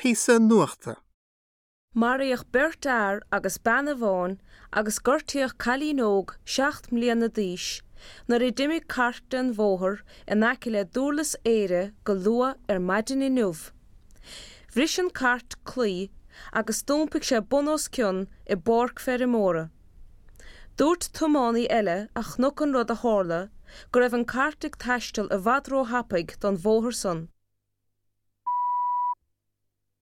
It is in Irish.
Píosa nuachta. Maraíodh beirt fhear agus bean amháin agus gortaíodh cailín óg 7 mbliana d'aois nuair a d'imigh cairt den bhóthar in aice le Dúrlas Éire go luath ar maidin inniu. Bhris an cairt claí agus d'iompaigh sé bun os cionn i bpáirc feirmeora. Dúirt tiománaí eile a chonaic an rud a tharla go raibh an cairt ag taisteal i bhfad róthapaidh don bhóthar san.